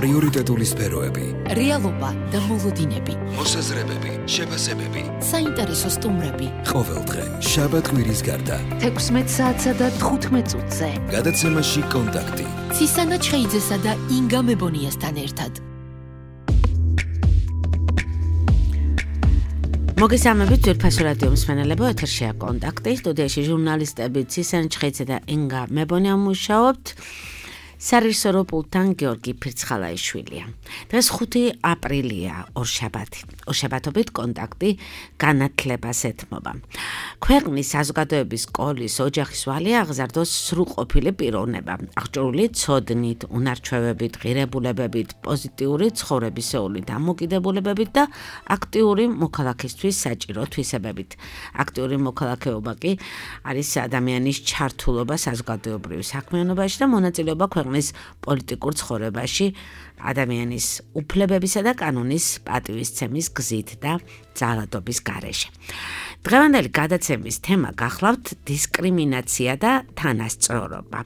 პრიორიტეტული სფეროები, რეალობა და მოლოდინები, მოსაზრებები, შეფასებები, საინტერესო სტუმრები. ყოველდღე, შაბათ-კვირის გარდა, 16 საათსა და 15 წუთზე. გადაცემაში კონტაქტი. ცისანა ჩხეიძესა და ინგა მებონიასთან ერთად. მოგესალმებით ძვირფასო რადიო მსმენელებო, ეთერშია კონტაქტი, სტუდიაში ჟურნალისტები ცისანა ჩხეიძე და ინგა მებონია მუშაობთ. სარისორო პულტთან გიორგი ფირცხალაიშვილია. დღეს 5 აპრილია, ორშაბათი. ორშაბათობით კონტაქტი განათლებას ეთმობა. ქვეყნის საზოგადოების სკოლის ოჯახის ვალი აღზარდოს სრულყოფილი პიროვნება, აღჭურვილი ცოდნით, უნარჩვევებით, ღირებულებებით, პოზიტიური ცხოვრებისეული დამოკიდებულებებით და აქტიური მოქალაქისთვის საჭირო თვისებებით. აქტიური მოქალაქეობა კი არის ადამიანის ჩართულობა საზოგადოებრივ საქმიანობაში და მონაწილეობა ქვეყნის პოლიტიკურ ცხოვრებაში ადამიანის უფლებებისა და კანონის პატივისცემის გზით და ძალადობის გარეშე. დღევანდელი გადაცემის თემა გახლავთ დისკრიმინაცია და თანასწორობა.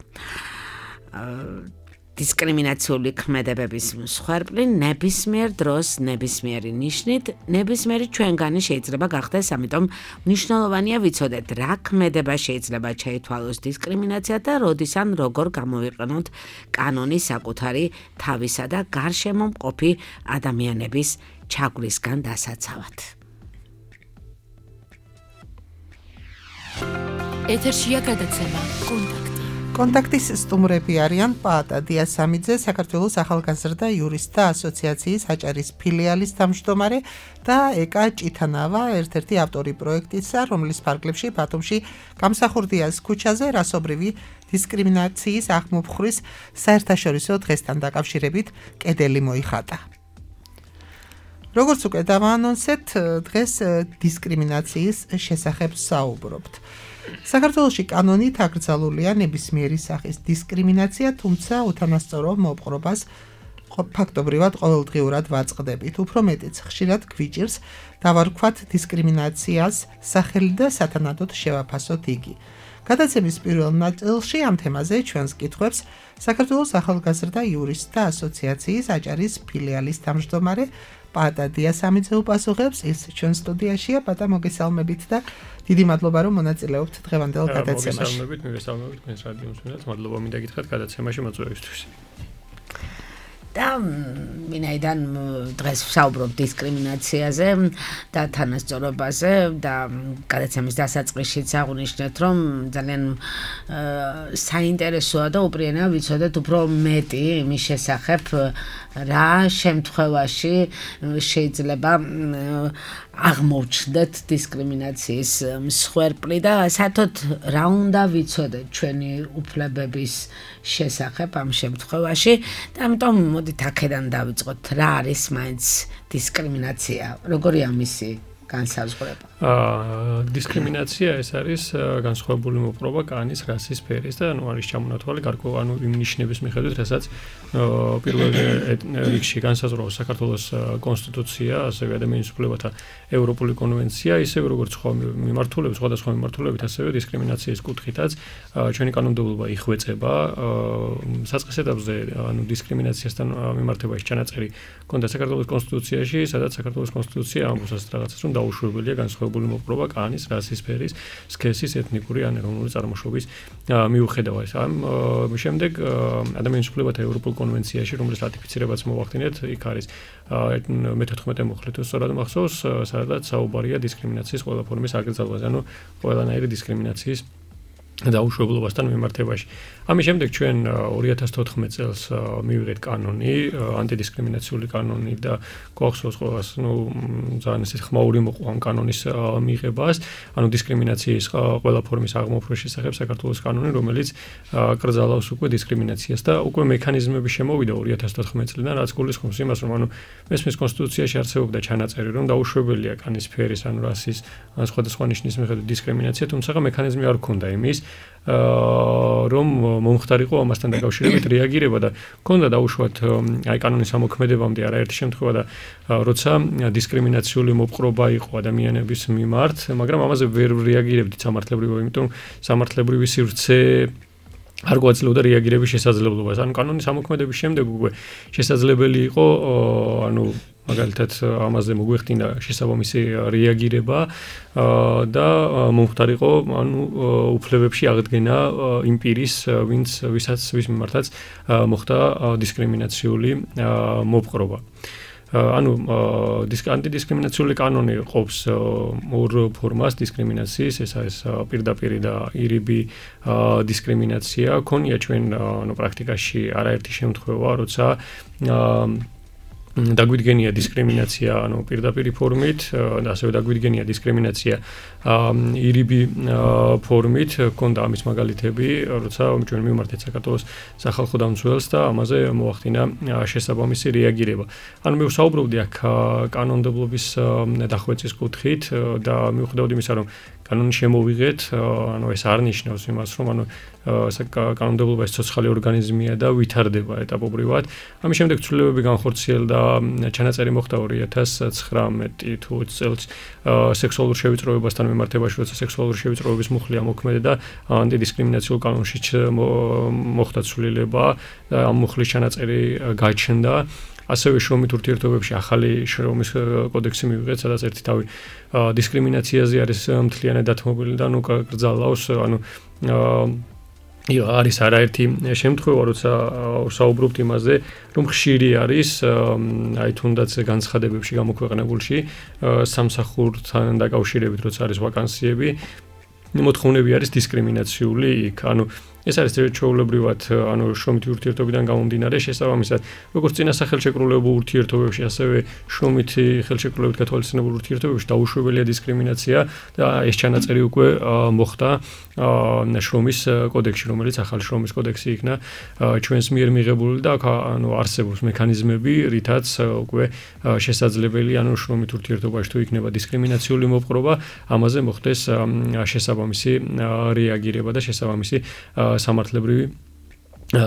დისკრიმინაციული ქმედებების მსხვერპლი ნებისმიერ დროს, ნებისმიერი ნიშნით, ნებისმიერი ჩვენგანი შეიძლება გახდეს, ამიტომ მნიშვნელოვანია ვიცოდეთ, რა ქმედება შეიძლება შეითვალოს დისკრიმინაცია და როდის ან როგორ გამოვიყენოთ კანონის საკუთარი თავისა და გარშემო მყოფი ადამიანების ჩაგვრისგან დასაცავად. ეთერშია გადაცემა კონტაქტი. კონტაქტის სტუმრები არიან პაატა დიასამიძე, საქართველოს ახალგაზრდა იურისტთა ასოციაციის აჭარის ფილიალის თავმჯდომარე და ეკა ჭითანავა, ერთ-ერთი ავტორი პროექტისა, რომლის ფარგლებში ბათუმში გამსახურდიას ქუჩაზე რასობრივი დისკრიმინაციის აღმოფხვრის საერთაშორისო დღესთან დაკავშირებით კედელი მოიხატა. როგორც უკვე დავაანონსეთ, დღეს დისკრიმინაციის შესახებ საუბრობთ. საქართველოში კანონით აკრძალულია ნებისმიერი სახის დისკრიმინაცია, თუმცა უთანასწორო მოპყრობას ფაქტობრივად ყოველდღიურად ვაწყდებით. უფრო მეტიც ხშირად გვიჭირს დავარქვათ დისკრიმინაციას სახელი და სათანადოდ შევაფასოთ იგი. გადაცემის პირველ ნაწილში ამ თემაზე ჩვენს კითხვებს საქართველოს ახალგაზრდა იურისტთა ასოციაციის აჭარის ფილიალის თავმჯდომარე პაატა დიასამიძე უპასუხებს, ის ჩვენ სტუდიაშია. პაატა, მოგესალმებით და დიდი მადლობა, რომ მონაწილეობთ დღევანდელ გადაცემაში. მოგესალმებით, თქვენს რადიო მსმენელს, მადლობა მინდა გითხრათ გადაცემაში მოწვევისთვის. და ვინაიდან დღეს ვსაუბრობ დისკრიმინაციაზე და თანასწორობაზე და გადაცემის დასაწყისშიც აღვნიშნეთ, რომ ძალიან საინტერესოა და უპირენეა ვიცოდეთ უფრო მეტი იმის შესახებ, რა შემთხვევაში შეიძლება აღმოჩნდეთ დისკრიმინაციის მსხვერპლი და საერთოდ რა უნდა ვიცოდეთ ჩვენი უფლებების შესახებ ამ შემთხვევაში და ამიტომ მოდით აქედან დავიწყოთ, რა არის მაინც დისკრიმინაცია, როგორია მისი განსაზღვრება? დისკრიმინაცია ეს არის განსხვავებული მოპყრობა კანის, რასის, ფერის და არის ჩამონათვალი გარკვეული იმ ნიშნების მიხედვით, რასაც პირველ რიგში განსაზღვრავს საქართველოს კონსტიტუცია, ასევე ადამიანის უფლებათა ევროპული კონვენცია, ისევე როგორც სხვადასხვა მიმართულებით, ასევე დისკრიმინაციის კუთხითაც ჩვენი კანონმდებლობა იხვეწება. საწყის ეტაპზე დისკრიმინაციასთან მიმართებაში ჩანაწერი ჰქონდა საქართველოს კონსტიტუციაში, სადაც საქართველოს კონსტიტუცია ამბობს ასეთ რაღაცას, რომ დაუშვებელია განსხვავებული მოპყრობა კანის, რასის, ფერის, სქესის, ეთნიკური ან ეროვნული წარმოშობის მიუხედავად. ამ შემდეგ ადამიანის უფლებათა ევროპულ კონვენციაში, რომლის რატიფიცირებაც მოვახდინეთ, იქ არის მე-14 მუხლით სწორად მახსოვს, სადაც საუბარია დისკრიმინაციის ყველა ფორმის აკრძალვაზე, ანუ ყველანაირი დისკრიმინაციის დაუშვებლობასთან მიმართებაში. ამის შემდეგ ჩვენ 2014 წელს მივიღეთ კანონი, ანტიდისკრიმინაციული კანონი და გვახსოვს ყველას, ძალიან ისეთ ხმაური მოყვა ამ კანონის მიღებას, ანუ დისკრიმინაციის ყველა ფორმის აღმოფხვის შესახებ საქართველოს კანონი, რომელიც კრძალავს უკვე დისკრიმინაციას და უკვე მექანიზმები შემოვიდა 2014 წლიდან, რაც გულისხმობს იმას, რომ მესმის კონსტიტუციაში არსებობდა ჩანაწერი, რომ დაუშვებელია კანის, ფერის, ან რასის, ან სხვადასხვა ნიშნის მიხედვით დისკრიმინაცია, თუმცა მექანიზმი არ ჰქონდა იმის, რომ მომხდარიყო ამასთან დაკავშირებით რეაგირება და ჰქონდა დაუშვათ აი კანონის ამოქმედებამდე არაერთი შემთხვევა და როცა დისკრიმინაციული მოპყრობა იყო ადამიანების მიმართ, მაგრამ ამაზე ვერ რეაგირებდით სამართლებრივად, იმიტომ სამართლებრივი სივრცე არ გვაძლევდა რეაგირების შესაძლებლობას. ანუ კანონის ამოქმედების შემდეგ უკვე შესაძლებელი იყო ანუ მაგალითად ამაზე მოგვეხდინა შესაბამისი რეაგირება და მომხდარიყო ანუ უფლებებში აღდგენა იმ პირის ვის მიმართაც მოხდა დისკრიმინაციული მოპყრობა. ანუ ანტიდისკრიმინაციული კანონი ყოფს ორ ფორმას დისკრიმინაციის, ეს არის პირდაპირი და ირიბი დისკრიმინაცია. ქონია ჩვენ ანუ პრაქტიკაში არაერთი შემთხვევა, როცა დაგვიდგენია დისკრიმინაცია ანუ პირდაპირი ფორმით და ასევე დაგვიდგენია დისკრიმინაცია ირიბი ფორმით, ქონდა ამის მაგალითები, როცა ჩვენ მივმართეთ საქართველოს სახალხო დამცველს და ამაზე მოახდინა შესაბამისი რეაგირება. ანუ მე ვსაუბრობდი აქ კანონმდებლობის დახვეწის კუთხით და მივხვდები იმისა, რომ კანონი შემოვიღეთ, ანუ ეს არ ნიშნავს იმას, რომ ანუ კანონმდებლობა ეს ცოცხალი ორგანიზმია და ვითარდება ეტაპობრივად. ამის შემდეგ ცვლილებები განხორციელდა, ჩანაწერი მოხდა 2019 თუ 20 წელს სექსუალურ შევიწროებასთან მიმართებაში, როცა სექსუალური შევიწროების მუხლი ამოქმედა და ანტიდისკრიმინაციულ კანონში მოხდა ცვლილება და ამ მუხლის ჩანაწერი გაჩნდა. ასევე შრომით ურთიერთობებში ახალი შრომის კოდექსი მივიღეთ, სადაც ერთი თავი დისკრიმინაციაზე არის მთლიანად დათმობილი და ანუ კრძალავს, ანუ არის არაერთი შემთხვევა, როცა ვსაუბრობთ იმაზე, რომ ხშირი არის აი თუნდაც განცხადებებში გამოქვეყნებულში სამსახურთან დაკავშირებით, როცა არის ვაკანსიები, მოთხოვნები არის დისკრიმინაციული იქ, ანუ ეს არის ჩვეულებრივად ანუ შრომითი ურთიერთობიდან გამომდინარე შესაბამისად როგორც წინასახელშეკრულებულ ურთიერთობებში ასევე შრომითი ხელშეკრულებით გათვალისწინებულ ურთიერთობებში დაუშვებელია დისკრიმინაცია და ეს ჩანაწერი უკვე მოხდა შრომის კოდექსში, რომელიც ახალი შრომის კოდექსი იქნა ჩვენს მიერ მიღებული და ანუ არსებობს მექანიზმები, რითაც უკვე შესაძლებელი ანუ შრომით ურთიერთობაში თუ იქნება დისკრიმინაციული მოპყრობა, ამაზე მოხდეს შესაბამისი რეაგირება და შესაბამისი სამართლებრივი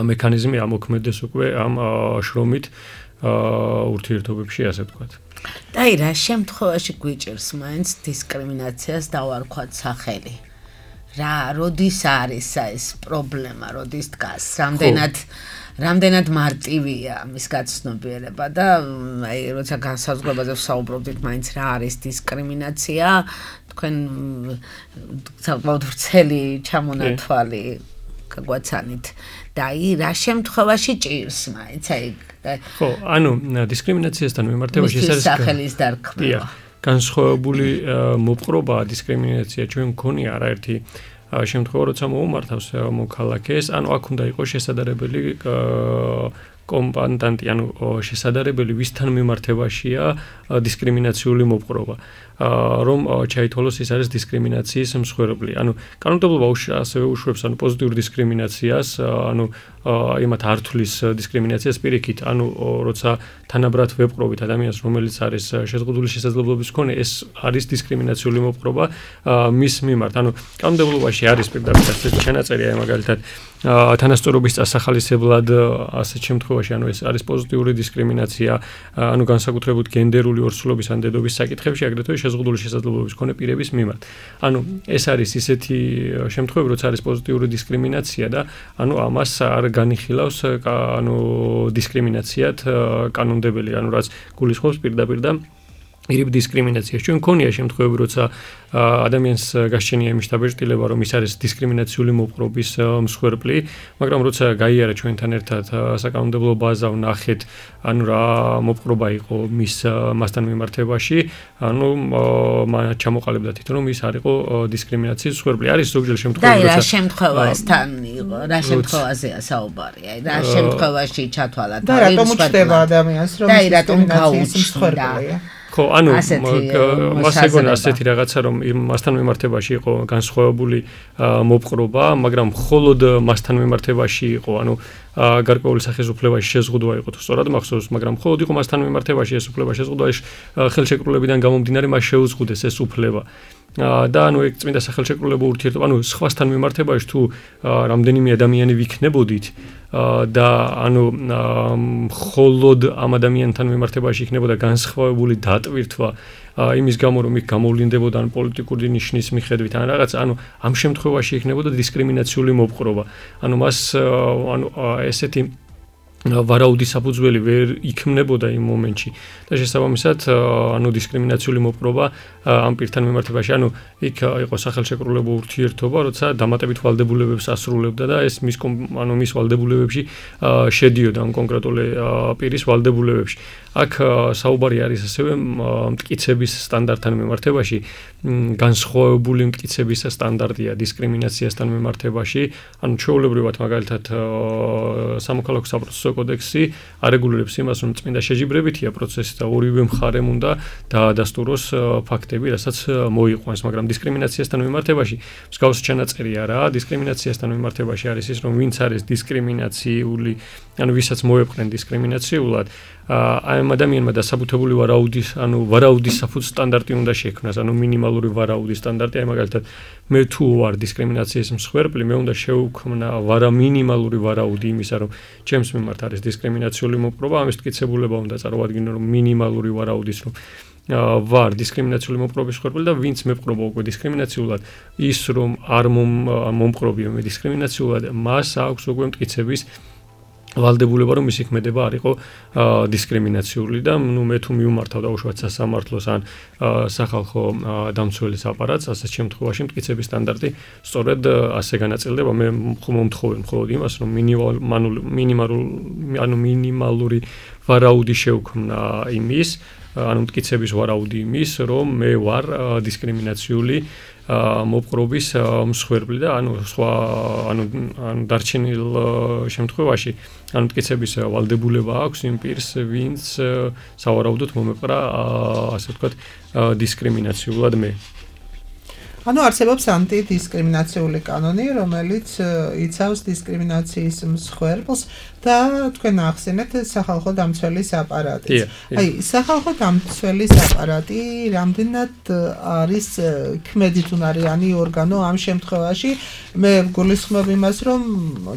მექანიზმი ამოქმედეს უკვე ამ შრომით ურთიერთობებში, ასე ვთქვათ. და რა შემთხვევაში გვიჭირს მაინც დისკრიმინაციას დავარქვათ სახელი? როდის არის ეს პრობლემა, როდის დგას? რამდენად მარტივია მის გაცნობიერება და აი როცა განსაზღვრებაზე ვსაუბრობდით, მაინც რა არის დისკრიმინაცია, თქვენ საკმაოდ ვრცელი ჩამონათვალი გაგვაცანით და აი რა შემთხვევაში ჭირს მაინც აი ხო, ანუ დისკრიმინაციასთან მიმართებაში ეს არის სახელის დარქმევა. განსხვავებული მოპყრობა, დისკრიმინაცია ჩვენ მქონია არაერთი შემთხვევა, როცა მოუმართავს მოქალაქეს, ანუ აქ უნდა იყოს შესაძლებელი კომპონენტი, ანუ შესაძლებელი ვისთან მიმართებაშია დისკრიმინაციული მოპყრობა. რომ ჩაითვალოს ის არის დისკრიმინაციის მსხვერპლი. ანუ კანონმდებლობა ასევე უშვებს ანუ პოზიტიურ დისკრიმინაციას, ანუ იმათ არ თვლის დისკრიმინაციას პირიქით, ანუ როცა თანაბრად ვეპყრობით ადამიანს, რომელიც არის შეზღუდული შესაძლებლობის მქონე, ეს არის დისკრიმინაციული მოპყრობა მის მიმართ. ანუ კანონმდებლობაში არის პირდაპირ ასეთი ჩანაწერი, აი მაგალითად თანასწორობის წასახალისებლად ასეთ შემთხვევაში, ანუ ეს არის პოზიტიური დისკრიმინაცია, ანუ განსაკუთრებით გენდერული ორსულობის ან დედობის საკითხებში, აგრეთვე შეზღუდული შესაძლებლობის მქონე პირების მიმართ. ანუ ეს არის ისეთი შემთხვევები, როცა არის პოზიტიური დისკრიმინაცია და ანუ ამას არ განიხილავს ანუ დისკრიმინაციად კანონმდებელი, ანუ რაც გულისხმობს პირდაპირ და ირიბ დისკრიმინაციას. ჩვენ მქონია შემთხვევები, როცა ადამიანს გასჩენია იმის დაბეჭდილება, რომ ის არის დისკრიმინაციული მოპყრობის მსხვერპლი, მაგრამ როცა გაიარა ჩვენთან ერთად საკანონმდებლო ბაზა, ვნახეთ, ანუ რა მოპყრობა იყო მასთან მიმართებაში, ანუ ჩამოყალიბდა თვითონ, რომ ის არ იყო დისკრიმინაციის მსხვერპლი. არის ზოგჯერ შემთხვევები, როცა რა შემთხვევასთან იყო, რა შემთხვევაზეა საუბარი, აი რა შემთხვევაში ჩათვალა და რატომ უჩნდება ადამიანს, რომ დისკრიმინაციის მსხვერპლია? ხო, ანუ მას ეგონა ასეთი რაღაცა, რომ მასთან მიმართებაში იყო განსხვავებული მოპყრობა, მაგრამ მხოლოდ მასთან მიმართებაში იყო, ანუ გარკვეული სახის უფლებაში შეზღუდვა იყო, თუ სწორად მახსოვს, მაგრამ მხოლოდ იყო მასთან მიმართებაში ეს უფლება შეზღუდვა, ხელშეკრულებიდან გამომდინარე მას შეუზღუდეს ეს უფლება. და ანუ ეგ წმინდა სახელშეკრულებო ურთიერთობა, ანუ სხვასთან მიმართებაში თუ რამდენიმე ადამიანი ვიქნებოდით და ანუ მხოლოდ ამ ადამიანთან მიმართებაში იქნებოდა განსხვავებული დატვირთვა იმის გამო რომ იქ გამოვლინდებოდა ან პოლიტიკური ნიშნის მიხედვით ან რაღაც, ანუ ამ შემთხვევაში იქნებოდა დისკრიმინაციული მოპყრობა. ანუ მას ანუ ესეთი ვარაუდი საფუძველი ვერ იქმნებოდა იმ მომენტში და შესაბამისად ანუ დისკრიმინაციული მოპყრობა ამ პირთან მიმართებაში, ანუ იქ იყო სახელშეკრულებო ურთიერთობა, როცა დამატებით ვალდებულებებს ასრულებდა და ეს მის ვალდებულებებში შედიოდა ამ კონკრეტული პირის ვალდებულებებში. აქ საუბარი არის ასევე მტკიცების სტანდარტთან მიმართებაში, განსხვავებული მტკიცების სტანდარტია დისკრიმინაციასთან მიმართებაში, ანუ ჩვეულებრივად მაგალითად სამოქალაქო საპროცესო კოდექსი არეგულირებს იმას, რომ წმინდა შეჯიბრებითია პროცესი და ორივე მხარემ უნდა დაადასტუროს ფაქტები, რასაც მოიყვანს, მაგრამ დისკრიმინაციასთან მიმართებაში მსგავსი ჩანაწერი არაა. დისკრიმინაციასთან მიმართებაში არის ის, რომ ვინც არის დისკრიმინაციული, ანუ ვისაც მოეპყრენ დისკრიმინაციულად, ამ ადამიანმა დასაბუთებული ვარაუდის საფუძ სტანდარტი უნდა შექმნას, ანუ მინიმალური ვარაუდის სტანდარტი, აი მაგალითად მე თუ ვარ დისკრიმინაციის მსხვერპლი, მე უნდა შევქმნა მინიმალური ვარაუდი იმისა, რომ ჩემს მიმართ არის დისკრიმინაციული მოპყრობა, ამის მტკიცებულება უნდა წარმოვადგინო, რომ მინიმალური ვარაუდის რომ ვარ დისკრიმინაციული მოპყრობის მსხვერპლი და ვინც მეპყრობა უკვე დისკრიმინაციულად, ის რომ არ მომპყრობია მე დისკრიმინაციულად, მას აქვს უკვე მტკიცების ვალდებულება რომ მისი ქმედება არ იყო დისკრიმინაციული და ნუ მე თუ მიუმართავ დაუშვათ სასამართლოს ან სახალხო დამცველის აპარატს, ასეთ შემთხვევაში მტკიცების სტანდარტი სწორედ ასე განაწილდება. მე მომთხოვენ მხოლოდ იმას, რომ მინიმალური ვარაუდი შევქმნა იმის, ანუ მტკიცების ვარაუდი იმის, რომ მე ვარ დისკრიმინაციული მოპყრობის მსხვერპლი და ანუ სხვა ანუ დარჩენილ შემთხვევაში ანუ მტკიცების ვალდებულება აქვს იმ პირს, ვინც სავარაუდოდ მომეპყრა ასე ვთქვათ დისკრიმინაციულად მე. ანუ არსებობს ანტიდისკრიმინაციული კანონი, რომელიც იცავს დისკრიმინაციის მსხვერპლს და თქვენ ახსენეთ სახალხო დამცველის აპარატიც. აი, სახალხო დამცველის აპარატი რამდენად არის ქმედითუნარიანი ორგანო ამ შემთხვევაში? მე გულისხმობ იმას, რომ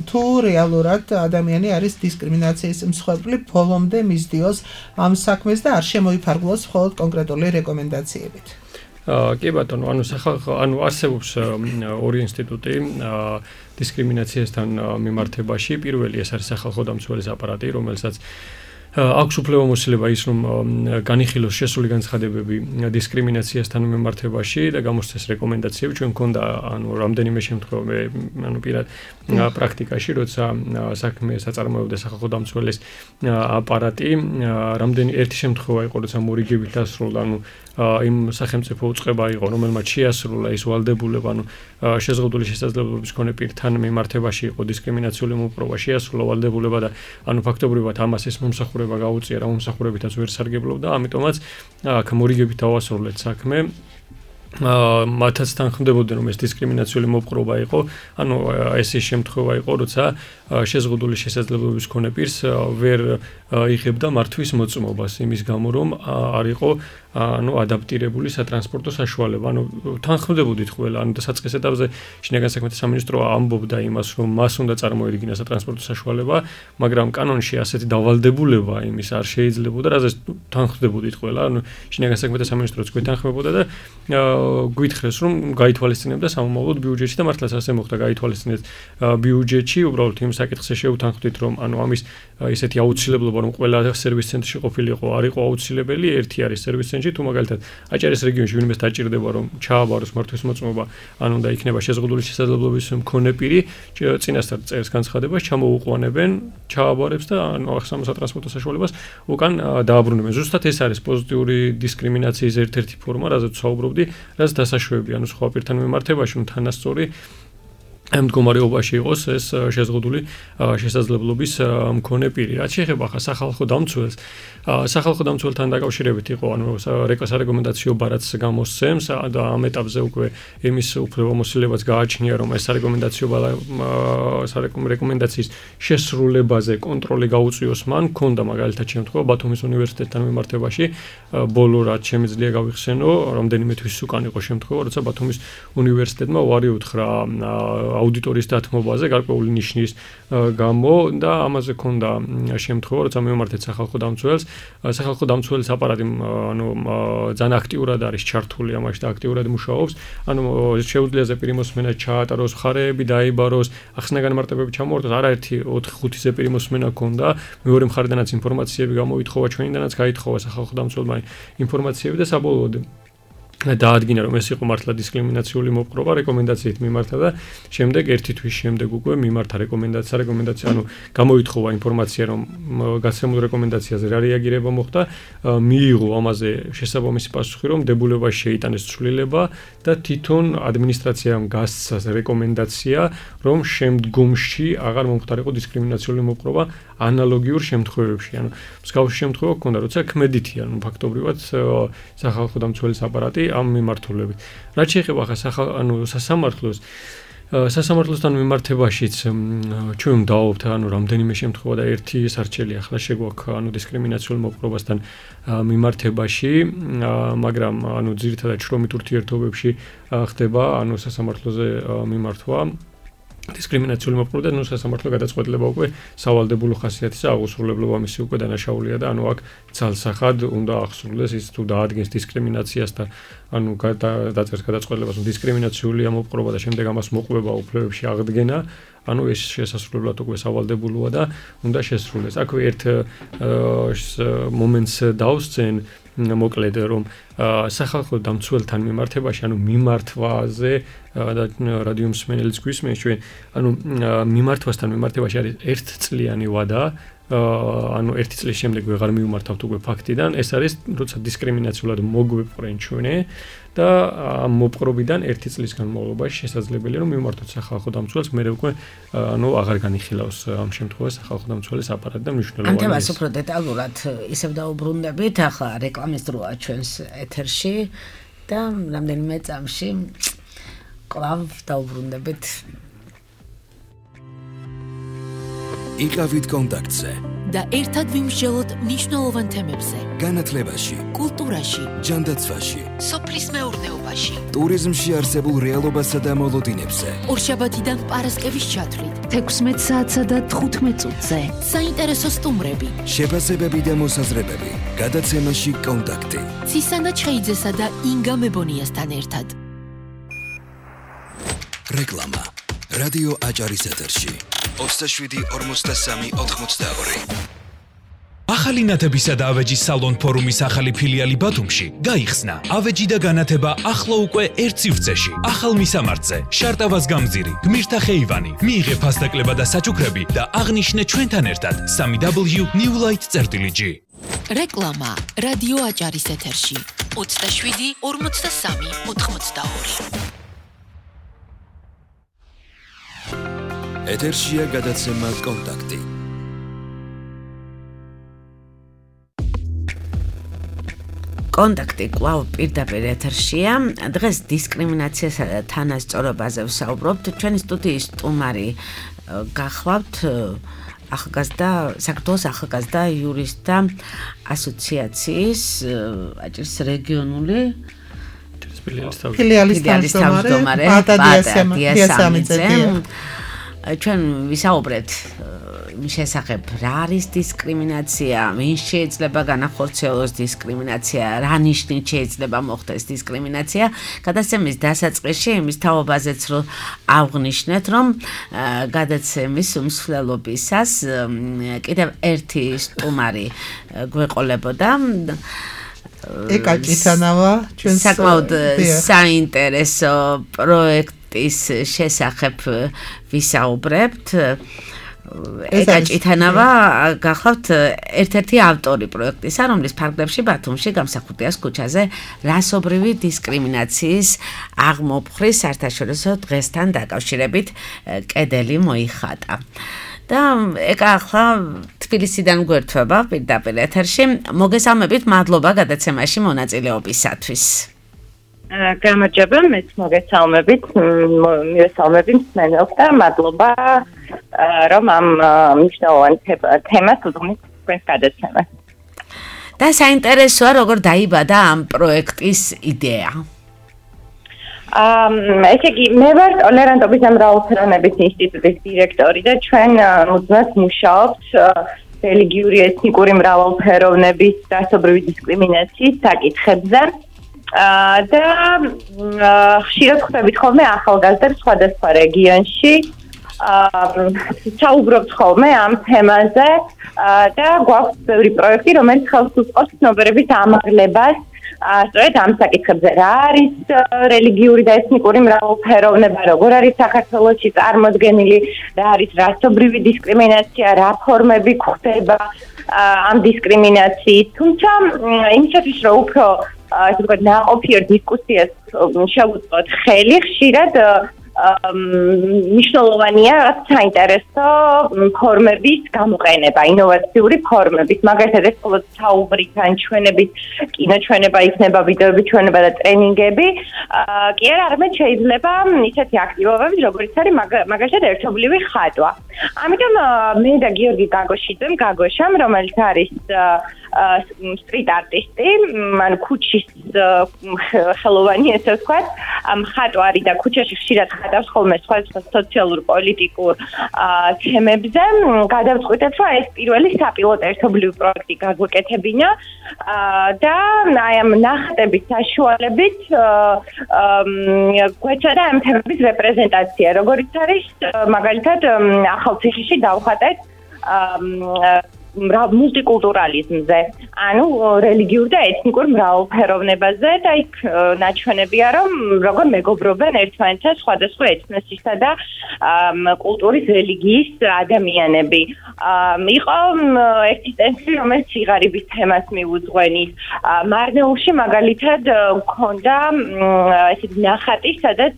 თუ რეალურად ადამიანი არის დისკრიმინაციის მსხვერპლი, ბოლომდე მისდიოს ამ საქმეს და არ შემოიფარგლოს მხოლოდ კონკრეტული რეკომენდაციებით. კი ბატონო, ანუ არსებობს ორი ინსტიტუტი დისკრიმინაციასთან მიმართებაში. პირველი ეს არის სახალხო დამცველის აპარატი, რომელსაც აქვს უფლებამოსილება ის, რომ განიხილოს შესული განცხადებები დისკრიმინაციასთან მიმართებაში და გამოსცეს რეკომენდაციები. ჩვენ მქონდა ანუ რამდენიმე შემთხვევა ანუ პირად პრაქტიკაში, როცა საქმე საწარმოებდა სახალხო დამცველის აპარატი, ერთი შემთხვევა იყო, როცა მორიგებით დასრულდა, ანუ იმ სახელმწიფო უწყება იყო, რომელმაც შეასრულა ის ვალდებულება, ანუ შეზღუდული შესაძლებლობის მქონე პირთან მიმართებაში იყო დისკრიმინაციული მოპყრობა, შეასრულა ვალდებულება და ანუ ფაქტობრივად ამას ეს მომსახურება გაუწია, რა მომსახურებითაც ვერ სარგებლობდა, ამიტომაც აქ მორიგებით დავასრულეთ საქმე. მათაც თანხმდებოდნენ, რომ ეს დისკრიმინაციული მოპყრობა იყო, ანუ ეს ის შემთხვევა იყო, როცა შეზღუდული შესაძლებლობის მქონე პირს ვერ იღებდა მართვის მოწმობას იმის გამო, რომ არ იყო ანუ ადაპტირებული სატრანსპორტო საშუალება. ანუ თანხმდებოდით ყველა, ანუ საწყის ეტაპზე შინაგან საქმეთა სამინისტრო ამბობდა იმას, რომ მას უნდა წარმოედგინა სატრანსპორტო საშუალება, მაგრამ კანონში ასეთი დავალდებულება იმის არ შეიძლებოდა, რაზეც თანხმდებოდით ყველა. ანუ შინაგან საქმეთა სამინისტროც გვეთანხმებოდა და გვითხრეს, რომ გაითვალისწინებდა სამომავლოდ ბიუჯეტში და მართლაც ასე მოხდა, გაითვალისწინეთ ბიუჯეტში, უბრალოდ იმ საკითხზე შევთანხმდით, რომ ანუ ამის ისეთი აუცილებლობა, რომ ყველა სერვის ცენტრში ყოფილიყო, არ იყო აუცილებელი, ერთი არის სერვის ცენტრი, თუ მაგალითად აჭარის რეგიონში ვინმეს დაჭირდება, რომ ჩააბაროს მართვის მოწმობა, ანუ და იქნება შეზღუდული შესაძლებლობის მქონე პირი, წინასწარ წერს განცხადებას, ჩამოუყვანებენ, ჩააბარებს და ანუ ახსამოს სატრანსპორტო საშუალებას უკან დააბრუნებენ. ზუსტად ეს არის პოზიტიური დისკრიმინაციის ერთ-ერთი ფორმა, რაზეც საუბრობდი, რაც დასაშვებია, ანუ სხვა პირთან მიმართებაში, თანასწორი ამ მდგომარეობაში იყოს ეს შეზღუდული შესაძლებლობის მქონე პირი. რაც შეეხება ხა სახალხო დამცველს, სახალხო დამცველთან დაკავშირებით იყო, ანუ სარეკომენდაციო ბარათს გამოსცემს და ამ ეტაპზე უკვე იმის უფლებამოსილებაც გააჩნია, რომ ეს რეკომენდაციის შესრულებაზე კონტროლი გაუწიოს მან. ქონდა მაგალითად შემთხვევა ბათუმის უნივერსიტეტთან მიმართებაში, ბოლო რაც შემიძლია გავიხსენო, რამდენიმე თვის უკან იყო შემთხვევა, როცა ბათუმის უნივერსიტეტმა უარი უთხრა აუდიტორიის დათმობაზე გარკვეული ნიშნის გამო და ამაზე ქონდა შემთხვევა, როცა მივმართეთ სახალხო დამცველს. სახალხო დამცველის აპარატი ანუ ძალიან აქტიურად არის ჩართული ამაში და აქტიურად მუშაობს. ანუ შეუძლია ზეპირი მოსმენა ჩაატაროს, მხარეები დაიბაროს, ახსნა განმარტებები ჩამოართოს, არაერთი 4-5 ზეპირი მოსმენა ქონდა. მეორე მხარედანაც ინფორმაციები გამოითხოვა, ჩვენიდანაც გაითხოვა სახალხო დამცველმა ინფორმაციები და საბოლოოდ დაადგინა, რომ ეს იყო მართლა დისკრიმინაციული მოპყრობა რეკომენდაციით მიმართა და შემდეგ ერთი თვის შემდეგ უკვე მიმართა რეკომენდაცია, ანუ გამოითხოვა ინფორმაცია, რომ გასცემულ რეკომენდაციაზე რა რეაგირება მოხდა, მიიღო ამაზე შესაბამისი პასუხი, რომ დებულებას შეიტანეს ცვლილება და თვითონ ადმინისტრაციამ გასცა რეკომენდაცია, რომ შემდგომში აღარ მომხდარიყო დისკრიმინაციული მოპყრობა ანალოგიურ შემთხვევებში. ანუ მსგავსი შემთხვევა ქონდა, როცა ქმედითი, ანუ ფაქტობრივად სახალხო დამცველის აპარატი ამ მიმართულებით. რაც შეეხება ხა სასამართლოსთან მიმართებაშიც ჩვენ დავაობთ ანუ რამდენიმე შემთხვევა და ერთი სარჩელი ახლა შეგვაქვს ანუ დისკრიმინაციულ მოპყრობასთან მიმართებაში, მაგრამ ანუ ძირითადად შრომით ურთიერთობებში ხდება ანუ სასამართლოზე მიმართვა. დისკრიმინაციული მოპყრობა და სასამართლო გადაწყვეტილება უკვე სავალდებულო ხასიათისა აღუსრულებლობა მისი უკვე დანაშაულია და ანუ აქ ცალსახად უნდა აღსრულდეს ის თუ დაადგენს დისკრიმინაციას და ანუ დაწერს გადაწყვეტილებას რომ დისკრიმინაციულია მოპყრობა და შემდეგ ამას მოყვება უფლებებში აღდგენა, ანუ ეს შესასრულებლად უკვე სავალდებულოა და უნდა შესრულდეს. აქვე ერთ მომენტს დავსწენ მოკლედ რომ სახალხო დამცველთან მიმართებაში ანუ მიმართვაზე და რადიო მსმენელიც გვისმენს ჩვენ ანუ მიმართვასთან მიმართებაში არის ერთწლიანი ვადა, ანუ ერთი წლის შემდეგ ვეღარ მივმართავთ უკვე ფაქტიდან, ეს არის როცა დისკრიმინაციულად მოგვეპყრენ ჩვენი და ამ მოპყრობიდან ერთი წლის განმავლობაში შესაძლებელია რომ მივმართოთ სახალხო დამცველს, მე უკვე ანუ აღარ განიხილავს ამ შემთხვევაში სახალხო დამცველის აპარატი და მნიშვნელოვანი. ამ თემას უფრო დეტალურად ისევ დაუბრუნდებით, ახლა რეკლამის დროა ჩვენს ეთერში და რამდენიმე წამში კვლავ დაუბრუნდებით. იყავით კონტაქტზე და ერთად ვიმსჯელოთ მნიშვნელოვან თემებზე. განათლებაში, კულტურაში, ჯანდაცვაში, სოფლის მეურნეობაში, ტურიზმში არსებულ რეალობასა და მოლოდინებზე. ორშაბათიდან პარასკევის ჩათვლით 16 საათსა და 15 წუთზე. საინტერესო სტუმრები, შეფასებები და მოსაზრებები. გადაცემაში კონტაქტი. ცისანა ჩხეიძესა და ინგა მებონიასთან ერთად. რეკლამა. რადიო აჭარის ეთერში. 27-43-82. ახალი ნათებისა და ავეჯის სალონ ფორუმის ახალი ფილიალი ბათუმში გაიხსნა. ავეჯი და განათება ახლა უკვე ერთ სივრცეში. ახალ მისამართზე, შარტავას გამზირი, გმირთა ხეივანი. მიიღე ფასდაკლება და საჩუქრები და აღნიშნე ჩვენთან ერთად 3w.newlight.gr. რეკლამა რადიო აჭარის ეთერში 27-43-82. ეთერშია გადაცემა კონტაქტი. კონტაქტი კვლავ პირდაპირ ეთერშია. დღეს დისკრიმინაციასა და თანასწორობაზე ვსაუბრობთ. ჩვენი სტუდიის სტუმარი გახლავთ საქართველოს ახალგაზრდა იურისტთა ასოციაციის აჭარის რეგიონული ფილიალის თავმჯდომარე პატა დიასამიძე. ჩვენ ვისაუბრეთ შესახებ რა არის დისკრიმინაცია, ვინ შეიძლება განახორციელოს დისკრიმინაცია, რა ნიშნით შეიძლება მოხდეს დისკრიმინაცია. გადაცემის დასაწყისში იმის თაობაზეც რომ აღვნიშნეთ, რომ გადაცემის უმსვლელობისას კიდევ ერთი სტუმარი გვეყოლებოდა. ეკა ჭიტანავა ჩვენს საკმაოდ საინტერესო პროექტის შესახებ ვისაუბრებთ. ეკა ჭითანავა გახლავთ ერთ-ერთი ავტორი პროექტისა, რომლის ფარგლებში ბათუმში გამსახურდიას ქუჩაზე რასობრივი დისკრიმინაციის აღმოფხრის საერთაშორისო დღესთან დაკავშირებით კედელი მოიხატა. და ეკა ახლა თბილისიდან გვერდება პირდაპირ ეთერში. მოგესალმებით, მადლობა გადაცემაში მონაწილეობისათვის. გამარჯობა, მეც მოგესალმებით, მსმენელს და მადლობა, რომ ამ მნიშვნელოვან თემას უძღვნის თქვენს გადაცემას. და საინტერესოა, როგორ დაიბადა ამ პროექტის იდეა. ესე იგი, მე ვარ ტოლერანტობის და მრავალფეროვნების ინსტიტუტის დირექტორი და ჩვენ მუდმივად მუშაობთ რელიგიური ეთნიკური მრავალფეროვნების დასობრივი დისკრიმინაციის საკითხებზე. და ხშირად ხვდებით ხოლმე ახალგაზრდებს სხვადასხვა რეგიონში. საუბრობთ ხოლმე ამ თემაზე და გვაქვს ბევრი პროექტი, რომელიც ხელს უწყობს ცნობიერების ამაღლებას. სწორედ ამ საკითხებზე რა არის რელიგიური და ეთნიკური მრავალფეროვნება, როგორ არის საქართველოში წარმოდგენილი, რა არის რასობრივი დისკრიმინაცია, რა ფორმები გვხდება ამ დისკრიმინაციის. თუმცა იმისათვის რომ უფრო ასე ვთქვათ, ნაყოფიერ დისკუსიას შევუწყოთ ხელი, ხშირად მნიშვნელოვანია საინტერესო ფორმების გამოყენება, ინოვაციური ფორმების, მაგალითად ეს მხოლოდ საუბრით ან ჩვენებით, კინოჩვენება იქნება, ვიდეოების ჩვენება და ტრენინგები, კი არა, არამედ შეიძლება ისეთი აქტივობები, როგორც არის მაგალითად ერთობლივი ხატვა. ამიტომ მე და გიორგი გაგოშამ, რომელიც არის სტრიტ არტისტი, ანუ ქუჩის ხელოვანი, ესე ვთქვათ, მხატვარი და ქუჩაში ხშირად ხატავს ხოლმე სხვადასხვა სოციალურ პოლიტიკურ თემებზე. გადავწყვიტეთ, რომ ეს პირველი საპილოტო ერთობლივი პროექტი გაგვეკეთებინა და აი ამ ნახატების საშუალებით გვეცადა ამ თემების რეპრეზენტაცია, როგორც არის მაგალითად ახალციხეში დავხატეთ მულტიკულტურალიზმზე, ანუ რელიგიურ და ეთნიკურ მრავალფეროვნებაზე და იქ ნაჩვენებია, რომ როგორ მეგობრობენ ერთმანეთთან სხვადასხვა ეთნოსისა და კულტურის რელიგიის ადამიანები. იყო ერთი სტენსილი, რომელიც სიღარიბის თემას მიუძღვენის. მარნეულში მაგალითად მქონდა ესეთი ნახატი, სადაც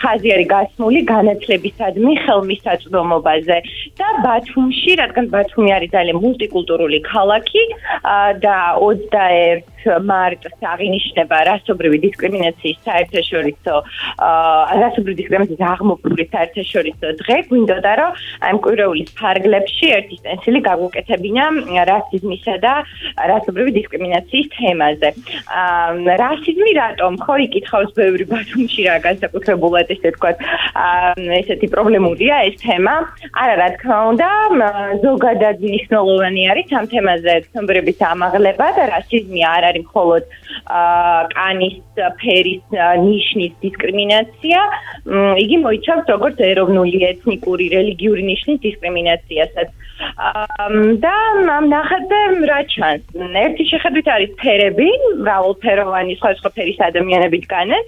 ხაზი არის გასმული განათლებისადმი ხელმისაწვდომობაზე და ბათუმში, რადგან ბათუმი არის ძალიან მულტიკულტურული ქალაქი და 21 მარტს აღინიშნება რასობრივი დისკრიმინაციის საერთაშორისო აღმოფხრის საერთაშორისო დღე. გვინდოდა, რომ ამ კვირეულის ფარგლებში ერთი სტენსილი გაგვუკეთებინა რასიზმისა და რასობრივი დისკრიმინაციის თემაზე. რასიზმი რატომ? ხო, იკითხავს ბევრი ბათუმში რა განსაკუთრებულად ესე ვთქვათ, ესეთი პრობლემურია ეს თემა. არა, რა თქმა უნდა, ზოგადად მნიშვნელოვანი არის ამ თემაზე ცნობიერების ამაღლება და რასიზმი არ არის მხოლოდ კანის ფერის ნიშნის დისკრიმინაცია, იგი მოიცავს როგორც ეროვნული, ეთნიკური, რელიგიური ნიშნის დისკრიმინაციასაც. და ამ ნახატზე რა ჩანს? ერთი შეხედვით არის ფერები, მრავალფეროვანი სხვადასხვა ფერის ადამიანები დგანენ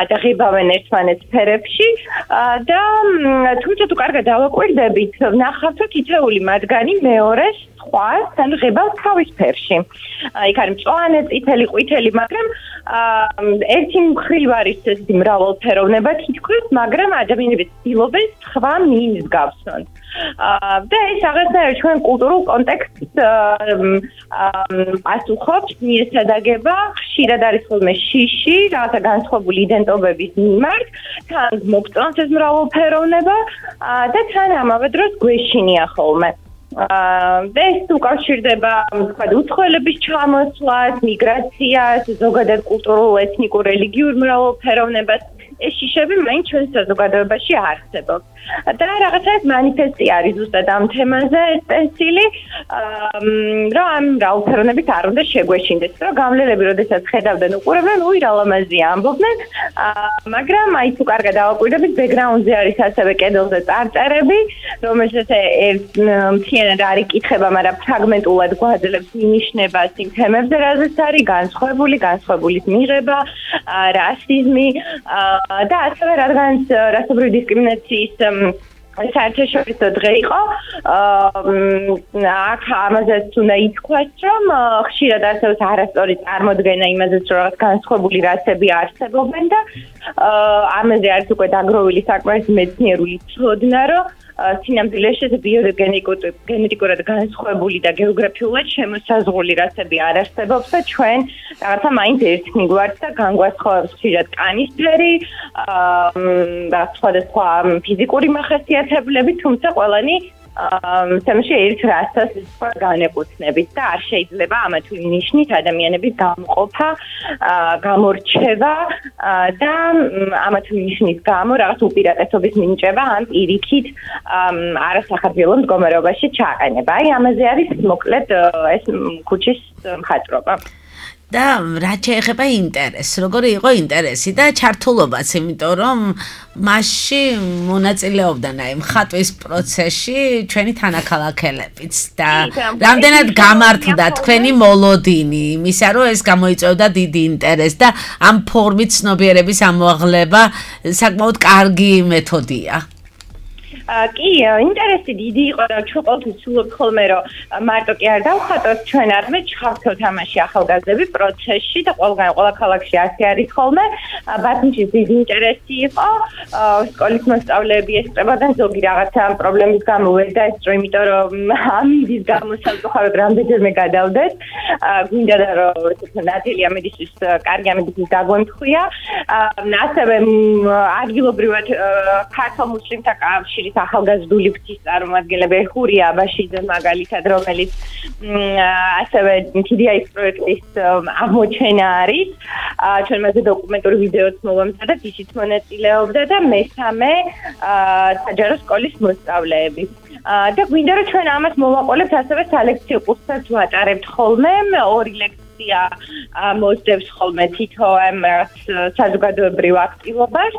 და ღებავენ ერთმანეთს ფერებში და თუმცა თუ კარგად დავაკვირდებით, ნახავთ, რომ თითოეული მათგანი მეორეს სხვას, ანუ ღებავს თავის ფერში. იქ არის მწვანე, წითელი, ყვითელი, მაგრამ ერთი მხრივ არის ესეთი მრავალფეროვნება თითქოს, მაგრამ ადამიანები ცდილობენ სხვა მინს გავსვან. და ეს რაღაცნაირად ჩვენ კულტურულ კონტექსტს პასუხობს, მიესადაგება, ხშირად არის ხოლმე შიში, რაღაცა განსხვავებული იდენტობების მიმართ, თან მოგწონს ეს მრავალფეროვნება და თან ამავე დროს გვეშინია ხოლმე. და ეს უკავშირდება, ვთქვათ, უცხოელების ჩამოსვლას, მიგრაციას, ზოგადად კულტურულ, ეთნიკურ, რელიგიურ მრავალფეროვნებას. ეს შიშები მაინც ჩვენ საზოგადოებაში არსებობს. და რაღაცას მანიფესტი არის ზუსტად ამ თემაზე სტენსილი, რომ ამ მრავალფეროვნებით არ უნდა შეგვეშინდეს, რომ გამლელები როდესაც ხედავდნენ უყურებდნენ, უი რა ლამაზია ამბობდნენ, მაგრამ აი თუ კარგად დავაკვირდებით, ბექგრაუნდზე არის ასევე კედელზე წარწერები, რომელსაც მთლიანად არ იკითხება, მაგრამ ფრაგმენტულად გვაძლევს მინიშნებას იმ თემებზე, რაზეც არის განსხვავებულის მიღება, რასიზმი და ასევე რადგანაც რასობრივი დისკრიმინაციის საერთაშორისო დღე იყო. აქ ამაზეც უნდა ითქვას, რომ ხშირად არსებობს არასწორი წარმოდგენა იმაზეც, რომ რაღაც განსხვავებული რასები არსებობენ და ამაზე არის უკვე დაგროვილი საკმარის მეცნიერული ცოდნა, რომ სინამდვილეში ბიოგენეტიკურად განსხვავებული და გეოგრაფიულად შემოსაზღვრული რასები არ არსებობს და ჩვენ რაღაცა მაინც ერთმიგვართ და განგვასხვავებს ხშირად კანისფერი, სხვადასხვა ფიზიკური მახასიათებლები, თუმცა ყველანი თემში ერთ რასას განეკუთვნებით და არ შეიძლება ამა თუ იმ ნიშნით ადამიანების გამყოფა, გამორჩევა და ამა თუ იმ ნიშნის გამო რაღაც უპირატესობის მინიჭება ან პირიქით არასახარბიელო მდგომარეობაში ჩაყენება. აი ამაზე არის მოკლედ ეს ქუჩის მხატვრობა. და რა შეეხება ინტერესს, როგორი იყო ინტერესი და ჩართულობაც, იმიტომ რომ მასში მონაწილეობდნენ აი მხატვის პროცესში ჩვენი თანაქალაქელებიც და რამდენად გამართლდა თქვენი მოლოდინი იმისა, რომ ეს გამოიწვევდა დიდი ინტერესს და ამ ფორმით ცნობიერების ამოაღლება საკმაოდ კარგი მეთოდია. კი, ინტერესი დიდი იყო და ჩვენ ყოველთვის ვცდილობთ ხოლმე, რომ მარტო კი არ დავხატოთ, ჩვენ არამედ ჩავხსოვთ ამაში ახალგაზრდები პროცესში და ყველა ქალაქში ასე არის ხოლმე. ბათუმში დიდი ინტერესი იყო, სკოლის მოსწავლეები ესწრებოდნენ, ზოგი რაღაცა პრობლემის გამო ვერ დაესწრო, იმიტომ რომ ამინდის გამო სამწუხაროდ რამდენჯერმე გადავდეთ. გვინდა და რომ ნათელი ამედისთვის კარგი ამედისთვის დაგვემთხვია. ასევე ადგილობრივად ქართულ მუსლიმთა კავშირის ახალგაზრდული ფრთის წარმომადგენლები ხურია აბაშიძე მაგალითად, რომელიც ასევე TDI პროექტის აღმოჩენა არის. ჩვენ მასზე დოკუმენტური ვიდეოც მოვამზადეთ, ისიც მონაწილეობდა და მესამე საჯარო სკოლის მოსწავლეები. და გვინდა რომ ჩვენ ამას მოვაყოლებთ ასევე სალექციო კურსსაც ვატარებთ ხოლმე, 2 ლექცია მოსდევს ხოლმე თითო საზოგადოებრივ აქტივობას,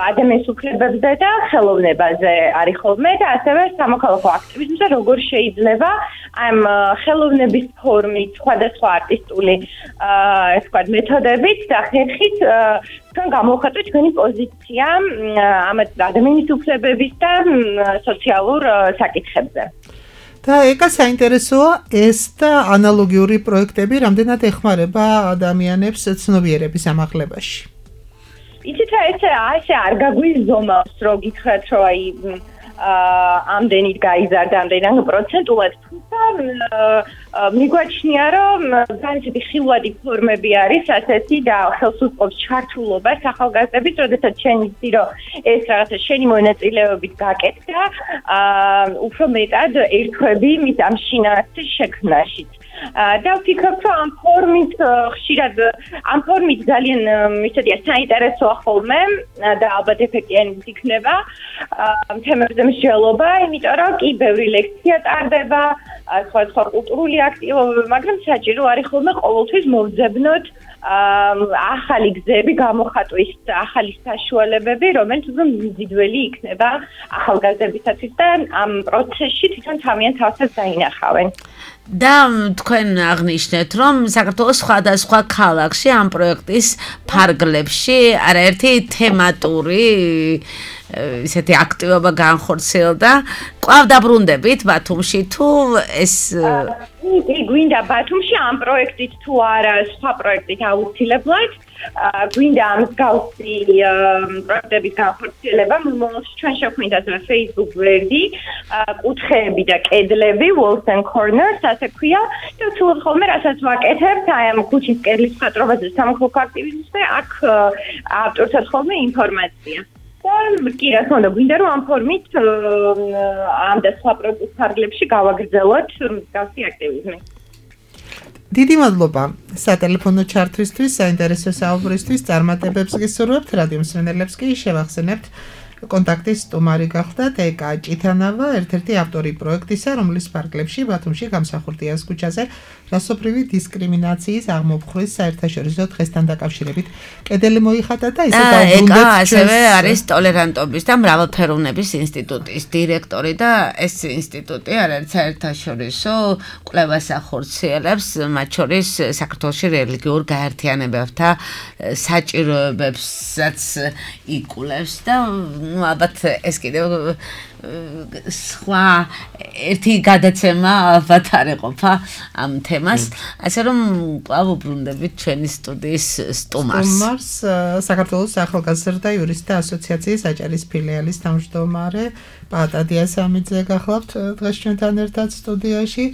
ადამიანის უფლებებზე და ხელოვნებაზე არის ხოლმე და ასევე სამოქალაქო აქტივიზმზე როგორ შეიძლება ამ ხელოვნების ფორმით სხვადასხვა არტისტული მეთოდებით და ხერხით ჩვენ გამოვხატოთ ჩვენი პოზიცია ამ ადამიანის უფლებების და სოციალურ საკითხებზე. და ეკა საინტერესოა ეს და ანალოგიური პროექტები რამდენად ეხმარება ადამიანებს ცნობიერების ამაღლებაში. იცით რა ესე არ გაგვიზომავს რომ გითხრათ რომ აი ამდენით გაიზარდა ამდენად პროცენტულად თუმცა მიგვაჩნია რომ განსაკუთრებით ხილვადი ფორმები არის ასეთი და ხელს უწყობს ჩართულობას ახალგაზრდების, როდესაც შენ იცი რომ ეს რაღაცა შენი მონაწილეობით გაკეთდა, უფრო მეტად ერთვები მის ამ შინაარსის შექმნაშიც. და ვფიქრობ, რომ ამ ფორმით ხშირად ამ ფორმით ძალიან ისეთია საინტერესოა ხოლმე და ალბათ ეფექტიანიც იქნება თემებზე მსჯელობა, იმიტომ რომ კი ბევრი ლექცია ტარდება, სხვა კულტურული აქტივობები, მაგრამ საჭირო არის ხოლმე ყოველთვის მოვძებნოთ ახალი გზები გამოხატვის ახალი საშუალებები, რომელიც უფრო მიზიდველი იქნება ახალგაზრდებისათვის და ამ პროცესში თვითონ თავიანთ თავსაც დაინახავენ. და თქვენ აღნიშნეთ, რომ საქართველოს სხვადასხვა ქალაქში ამ პროექტის ფარგლებში არაერთი თემატური ისეთი აქტივობა განხორციელდა. კვლავ დაბრუნდებით ბათუმში თუ ეს გვინდა ბათუმში ამ პროექტით თუ არა სხვა პროექტით აუცილებლად გვინდა ამ მსგავსი პროექტების განხორციელება. ჩვენ შევქმნით ასევე Facebook გვერდი, კუთხეები და კედლები, Walls and Corners, ასე ქვია და ვცდილობ ხოლმე რასაც ვაკეთებთ აი ამ ქუჩის კედლის მხატვრობაზე, სამოქალაქო აქტივიზმზე, აქ ავტორსაც ხოლმე ინფორმაცია. კი, რა თქმა უნდა, გვინდა რომ ამ ფორმით ამ და სხვა პროექტის ფარგლებში გავაგრძელოთ მსგავსი აქტივიზმი. დიდი მადლობა სატელეფონო ჩართვისთვის, საინტერესო საუბრისთვის, წარმატებებს გისურვებთ, რადიო მსმენელებს კი შევახსენებთ კონტაქტის სტუმარი გახდათ ეკა ჭითანავა, ერთ-ერთი ავტორი პროექტისა, რომლის ფარგლებში ბათუმში გამსახურდიას ქუჩაზე რასობრივი დისკრიმინაციის აღმოფხვრვის საერთაშორისო დღესთან დაკავშირებით კედელი მოიხატა და ისე დაუბრუნდეთ ჩვენ. ასევე არის ტოლერანტობის და მრავალფეროვნების ინსტიტუტის დირექტორი და ეს ინსტიტუტი არის საერთაშორისო კვლევას ახორციელებს, მათ შორის საქართველოში რელიგიურ გაერთიანებებთა საჭიროებებსაც იკვლევს და ალბათ ეს კიდევ სხვა ერთი გადაცემა ალბათ არ ეყოფა ამ თემას. ასე რომ კვლავ უბრუნდებით ჩვენი სტუდიის სტუმარს. საქართველოს ახალგაზრდა იურისტთა ასოციაციის აჭარის ფილიალის თავმჯდომარე პაატა დიასამიძე გახლავთ დღეს ჩვენთან ერთად სტუდიაში.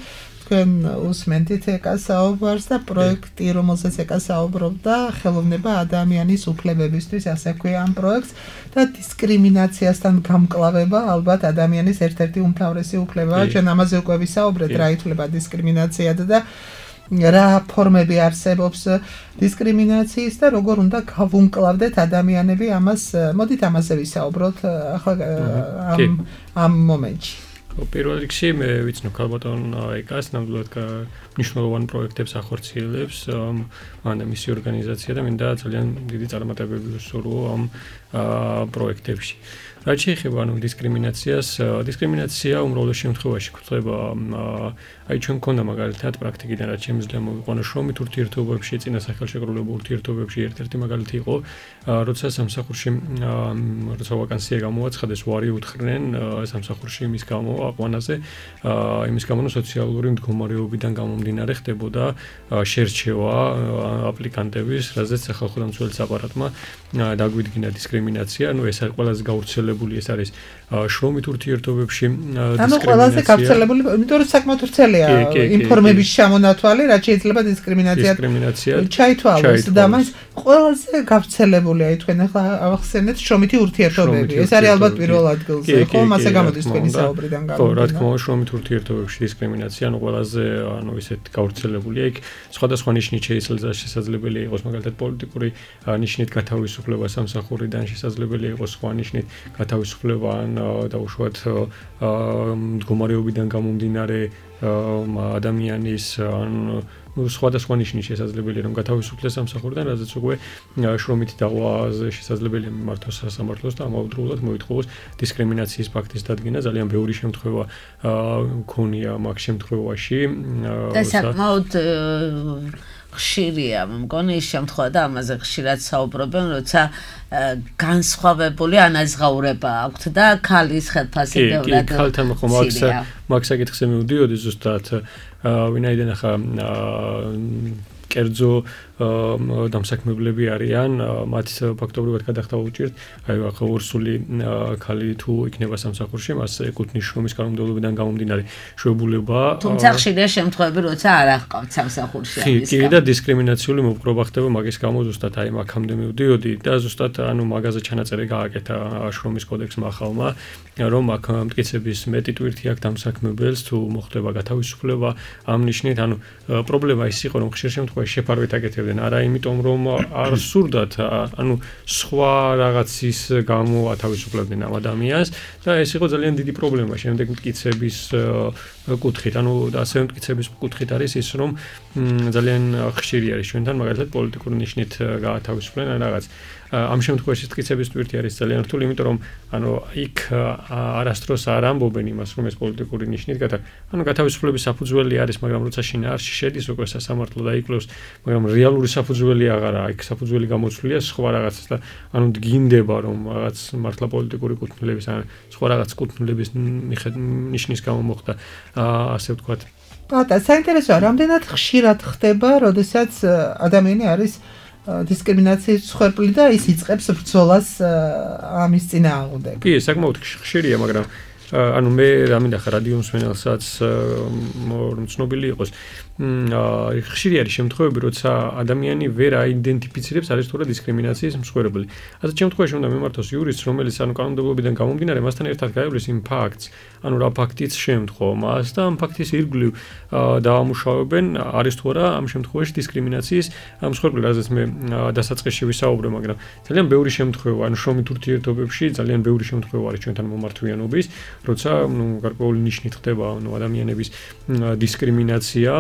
თქვენ უსმენთ ეკას საუბარს და პროექტი, რომელსაც ეკა საუბრობდა, ხელოვნება ადამიანის უფლებებისთვის, ასე ქვია ამ პროექტს და დისკრიმინაციასთან გამკლავება, ალბათ ადამიანის ერთ-ერთი უმთავრესი უფლებაა. ჩვენ ამაზე უკვე ვისაუბრეთ, რა ითვლება დისკრიმინაციად და რა ფორმები არსებობს დისკრიმინაციის და როგორ უნდა გავუმკლავდეთ ადამიანები ამას. მოდით ამაზე ვისაუბროთ ახლა ამ მომენტში. პირველ რიგში მე ვიცნობ ქალბატონ ეკას, ნამდვილად მნიშვნელოვან პროექტებს ახორციელებს, მან და მისი ორგანიზაცია და მინდა ძალიან დიდი წარმატებები ვუსურვო ამ პროექტებში. რაც შეეხება დისკრიმინაციას, დისკრიმინაცია უმრავლეს შემთხვევაში გვხვდება აი ჩვენ მქონდა მაგალითად პრაქტიკიდან რაც შემიძლია მოვიყვანო შრომით ურთიერთობებში, წინასახელშეკრულებულ ურთიერთობებში ერთ-ერთი მაგალითი იყო, როცა სამსახურში როცა ვაკანსია გამოაცხადეს, უარი უთხრნენ სამსახურში იმის გამო აყვანაზე, იმის გამო სოციალური მდგომარეობიდან გამომდინარე ხდებოდა შერჩევა აპლიკანტების, რაზეც სახალხო დამცველის აპარატმა დაგვიდგინა დისკრიმინაცია, ეს არის ყველაზე გავრცელებული, ეს არის შრომით ურთიერთობებში დისკრიმინაცია. ანუ ყველაზე გავრცელებული, იმიტომ რომ საკმაოდ ვრცელია ინფორმების შემონათვალი, რაც შეიძლება დისკრიმინაციად ჩაითვალოს და მას ყველაზე გავრცელებული აი თქვენ ახლა ახსენეთ შრომითი ურთიერთობები. ეს არის ალბათ პირველ ადგილზე, ხო? მასე გამოდის თქვენი საუბრიდან გამომდინარე. ხო, რა თქმა უნდა, შრომით ურთიერთობებში დისკრიმინაცია, ყველაზე ისეთ გავრცელებულია. იქ სხვადასხვა ნიშნით შესაძლებელია იყოს მაგალითად პოლიტიკური ნიშნით გათავისუფლება სამსახურიდან, შესაძლებელია იყოს სხვა ნიშნით გათავისუფლება ან დაუშვათ მდგომარეობიდან გამომდინარე ადამიანის ან სხვადასხვა ნიშნით შესაძლებელია რომ გათავისუფლდეს სამსახურიდან, რაზეც უკვე შრომითი დაღვაზე შესაძლებელია მიმართოს სასამართლოს და ამავდროულად მოითხოვოს დისკრიმინაციის ფაქტის დადგენა. ძალიან ბევრი შემთხვევა მქონია მაგ შემთხვევაში. და საკმაოდ ხშირია, მგონი ის შემთხვევა და ამაზე ხშირად საუბრობენ, როცა განსხვავებული ანაზღაურება აქვთ და ქალის ხელფასი ბევრად. კი, ქალთან ხო მაგ საკითხზე მივდიოდი ზუსტად, ვინაიდან ახლა კერძო დამსაქმებლები არიან, მათ ფაქტობრივად გადახდა უჭირთ, აი ახლა ორსული ქალი თუ იქნება სამსახურში, მას ეკუთვნის შრომის კანონმდებლობიდან გამომდინარე შეუძლებლობა. თუმცა ხშირია შემთხვევები, როცა არ აღყავთ სამსახურში ამის. კი, და დისკრიმინაციული მოპყრობა ხდება მაგის გამო ზუსტად აი მაგამდე მივდიოდი და ზუსტად ანუ მაგაზე ჩანაწერი გააკეთა შრომის კოდექსმა ახალმა, რომ აქ მტკიცების მეტი ტვირთი აქვს დამსაქმებელს თუ მოხდება გათავისუფლება ამ ნიშნით, ანუ პრობლემა ის იყო, რომ ხშირ შემთხვევაში შეფარვით აკეთებდნენ არა იმიტომ რომ არ სურდათ, ანუ სხვა რაღაცის გამო ათავისუფლებდნენ ამ ადამიანს და ეს იყო ძალიან დიდი პრობლემა შემდეგ მტკიცების კუთხით, ანუ ასე მტკიცების კუთხით არის ის რომ ძალიან ხშირი არის ჩვენთან მაგალითად პოლიტიკური ნიშნით გაათავისუფლენ რაღაც ამ შემთხვევაში მტკიცების ტვირთი არის ძალიან რთული, იმიტომ რომ ანუ იქ არასდროს არ ამბობენ იმას რომ ეს პოლიტიკური ნიშნით ანუ გათავისუფლების საფუძველი არის, მაგრამ როცა შინაარსში შედის უკვე სასამართლო დაიკვლევს, მაგრამ რეალური საფუძველი აღარაა, იქ საფუძველი გამოცვლილია სხვა რაღაცას და ანუ დგინდება რომ რაღაც მართლა პოლიტიკური კუთვნილების ან სხვა რაღაც კუთვნილების ნიშნის გამო მოხდა ასე ვთქვათ. პატა, საინტერესოა, რამდენად ხშირად ხდება, როდესაც ადამიანი არის დისკრიმინაციის მსხვერპლი და ის იწყებს ბრძოლას ამის წინააღმდეგ. კი, საკმაოდ ხშირია, მაგრამ ანუ მე რამინდა ხარ რადიო მსმენელსაც რომ ცნობილი იყოს. ხშირი არის შემთხვევები, როცა ადამიანი ვერ აიდენტიფიცირებს არის თუ რა დისკრიმინაციის მსხვერპლი. ასეთ შემთხვევაში უნდა მიმართოს იურისტს, რომელიც ანუ კანონმდებლობიდან გამომდინარე მასთან ერთად გაივლის იმ ფაქტს, ანუ რა ფაქტიც შემთხვევა მას და ამ ფაქტის ირგვლივ დაამუშავებენ არის თუ არა ამ შემთხვევაში დისკრიმინაციის მსხვერპლი, რაზეც მე დასაწყისში ვისაუბრე, მაგრამ ძალიან ბევრი შემთხვევა, ანუ შრომით ურთიერთობებში ძალიან ბევრი შემთხვევა არის ჩვენთან მომართვიანობის, როცა გარკვეული ნიშნით ხდება ანუ ადამიანების დისკრიმინაცია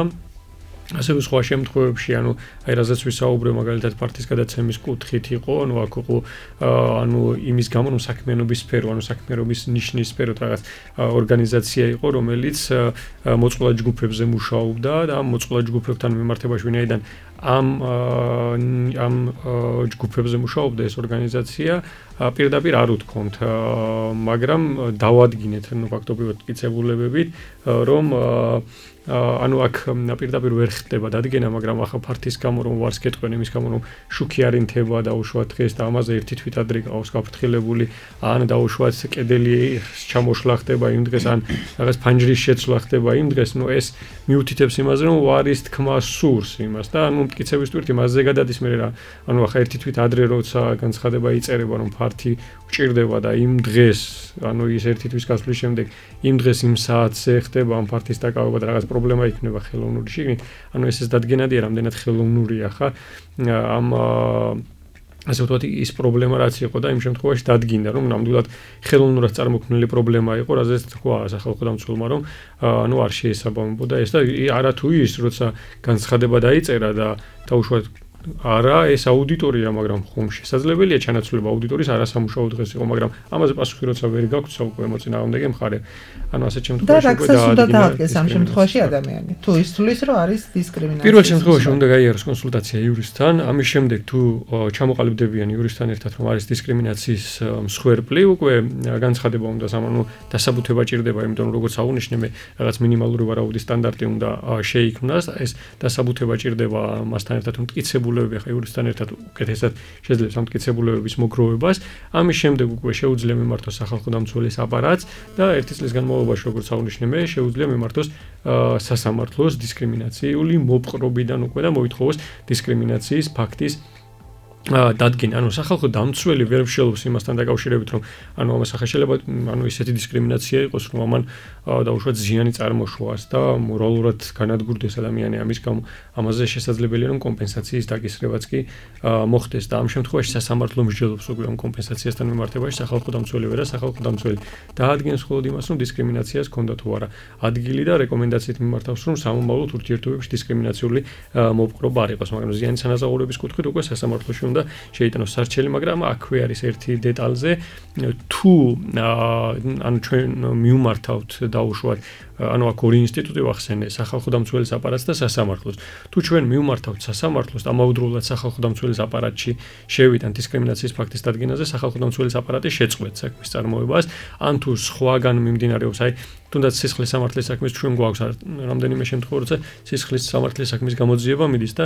ასევე სხვა შემთხვევებში, ანუ აი რაზეც ვისაუბრე, მაგალითად პარტიის გადაცემის კუთხით იყო, ანუ აქ იყო ანუ იმის გამო, რომ საქმიანობის სფერო, ანუ საქმიანობის ნიშნის სფეროთ რაღაც ორგანიზაცია იყო, რომელიც მოწყვლად ჯგუფებზე მუშაობდა და ამ მოწყვლად ჯგუფებთან მიმართებაში ვინაიდან ამ ჯგუფებზე მუშაობდა ეს ორგანიზაცია, პირდაპირ არ უთქვამთ, მაგრამ დავადგინეთ ფაქტობრივად მტკიცებულებებით, რომ ანუ აქ პირდაპირ ვერ ხდება დადგენა, მაგრამ ახლა ფართის გამო რომ ვარს გეტყვენ იმის გამო რომ შუქი არ ინთება და უშუალოდ დღეს და ამაზე ერთი თვით ადრე ყავს გაფრთხილებული, ან და უშუალოდ კედელი ჩამოშლა ხდება იმ დღეს, ან რაღაც ფანჯრის შეცვლა ხდება იმ დღეს, ნუ ეს მიუთითებს იმაზე რომ ვარის თქმა სურს იმას და ანუ მტკიცების თვით იმაზე გადადის მე რა, ანუ ახლა ერთი თვით ადრე როცა განცხადება იწერება რომ ფართი ჭირდება და იმ დღეს, ანუ ის ერთი თვის გასვლის შემდეგ იმ დღეს იმ საათზე ხდება ამ ფართის დაკავება და რაღაც პრობლემა იქნება ხელოვნური შიგნით, ანუ ეს დადგენადია, რამდენად ხელოვნურია ხა ამ ასე ვთქვათ, ის პრობლემა რაც იყო და იმ შემთხვევაში დადგინდა, რომ ნამდვილად ხელოვნურად წარმოქმნილი პრობლემა იყო, რაზეც თქვა სახალხო დამცველმა, რომ ანუ არ შეესაბამებოდა ეს და არათუ ის, როცა განცხადება დაიწერა და უშუალოდ არა ეს აუდიტორია, მაგრამ ხომ შესაძლებელია ჩანაცვლება აუდიტორიის არასამუშაო დღეს იყო, მაგრამ ამაზე პასუხი როცა ვერ გაქვს უკვე მოწინააღმდეგე მხარე. ანუ ასეთ შემთხვევაში უკვე დაადგეს ამ შემთხვევაში ადამიანი. თუ ის თulis რომ არის დისკრიმინაცია. პირველ შემთხვევაში უნდა გაიაროს კონსულტაცია იურისტთან, ამის შემდეგ თუ ჩამოყალიბდებიან იურისტთან ერთად რომ არის დისკრიმინაციის მსხვერპლი, უკვე განცხადება უნდა დასაბუთება ჭირდება, იმიტომ რომ როგორც აღნიშნე მე რაღაც მინიმალური ვარაუდის სტანდარტი უნდა შეიქმნას, ეს დასაბუთება ჭირდება მასთან ერთად მტკიცებულებები, ხა იურისტთან ერთად უკეთესად შეძლებს ამ მტკიცებულებების მოგროვებას, ამის შემდეგ უკვე შეუძლია მიმართოს სახალხო დამცველის აპარატს და ერთი წლის განმავლობაში, როგორც აღნიშნე მე, შეუძლია მიმართოს სასამართლოს დისკრიმინაციული მოპყრობიდან უკვე და მოითხოვოს დისკრიმინაციის ფაქტის დადგენა, ანუ სახალხო დამცველი ვერ მსჯელობს იმასთან დაკავშირებით, რომ ანუ ამას ახლა შეიძლება ანუ ისეთი დისკრიმინაცია იყოს, რომ ამან დაუშვათ ზიანი წარმოშვას და მორალურად განადგურდეს ადამიანი ამის გამო, ამაზე შესაძლებელია რომ კომპენსაციის დაკისრებაც კი მოხდეს და ამ შემთხვევაში სასამართლო მსჯელობს უკვე ამ კომპენსაციასთან მიმართებაში სახალხო დამცველი და სახალხო დამცველი დაადგენს მხოლოდ იმას, რომ დისკრიმინაციას ჰქონდა თუ არა ადგილი და რეკომენდაციით მიმართავს, რომ სამომავლოდ ურთიერთობებში დისკრიმინაციული მოპყრობა არ იყოს, მაგრამ ზიანის ანაზღაურების კუთხით უკვე სასამართლოში და შეიტანოს სარჩელი, მაგრამ აქვე არის ერთი დეტალზე, თუ ანუ ჩვენ მივმართავთ დაუშვათ, ანუ აქ ორი ინსტიტუტი ვახსენე, სახალხო დამცველის აპარატს და სასამართლოს. თუ ჩვენ მივმართავთ სასამართლოს, ამავდროულად სახალხო დამცველის აპარატში შევიდან დისკრიმინაციის ფაქტის დადგენაზე, სახალხო დამცველის აპარატი შეწყვეტს საქმის წარმოებას, ან თუ სხვაგან მიმდინარეობს, აი თუნდაც სისხლის სამართლის საქმის ჩვენ გვაქვს რამდენიმე შემთხვევა, როცა სისხლის სამართლის საქმის გამოძიება მიდის და